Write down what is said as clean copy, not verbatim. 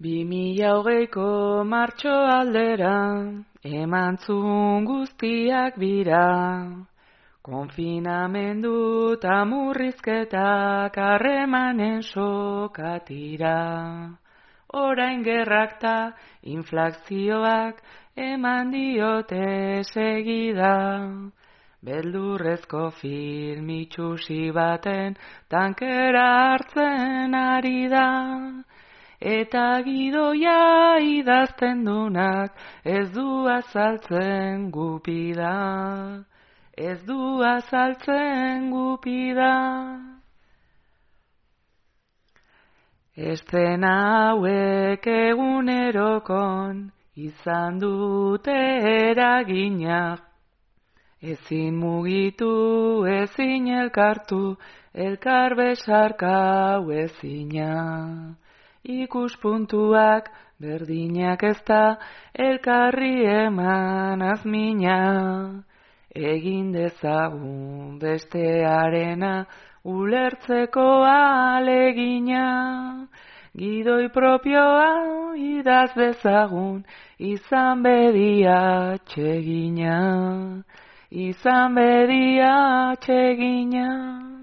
2020ko martxo aldera, emantzun guztiak bira. Konfinamendu eta murrizketak harremanen sokatira. Orain gerrak ta inflazioak eman diote segida. Beldurrezko film itxusi baten tankera hartzen ari da. Eta gidoia idazten dunak ez du azaltzen gupida. Ez du azaltzen gupida. Eszena hauek egunerokon izan dute eraginak. Ezin mugitu, ezin elkartu, elkar besarkau ezina. Ikuspuntuak berdinak ez da, elkarri eman azmina. Egin dezagun bestearena, ulertzeko alegina. Gidoi propioa idaz dezagun, izan bedia txegina. Izan bedia txegina.